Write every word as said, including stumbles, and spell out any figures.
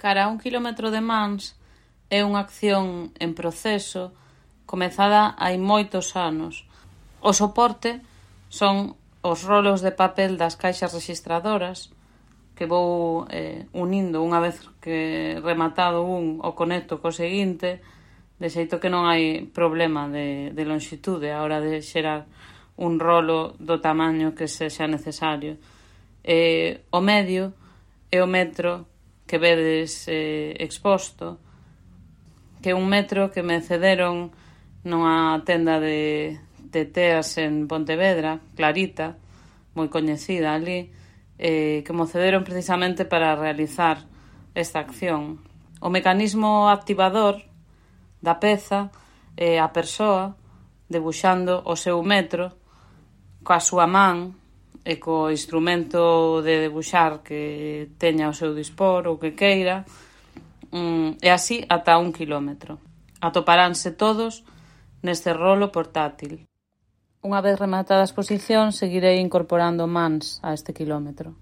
Cara a un quilómetro de mans é unha acción en proceso comezada hai moitos anos. O soporte son os rolos de papel das caixas rexistradoras que vou eh, unindo unha vez que rematado un o conecto co seguinte, de xeito que non hai problema de, de longitude a hora de xerar un rolo do tamaño que sexa necesario. Eh, o medio é o metro que vedes eh, exposto, que é un metro que me cederon nunha tenda de, de teas en Pontevedra, Clarita, moi coñecida ali, eh, que mo cederon precisamente para realizar esta acción. O mecanismo activador da peza é a persoa debuxando o seu metro coa súa man e co instrumento de debuxar que teña ao seu dispor ou que queira, e así ata un quilómetro. Atoparánse todos neste rolo portátil. Unha vez rematada a exposición, seguirei incorporando mans a este quilómetro.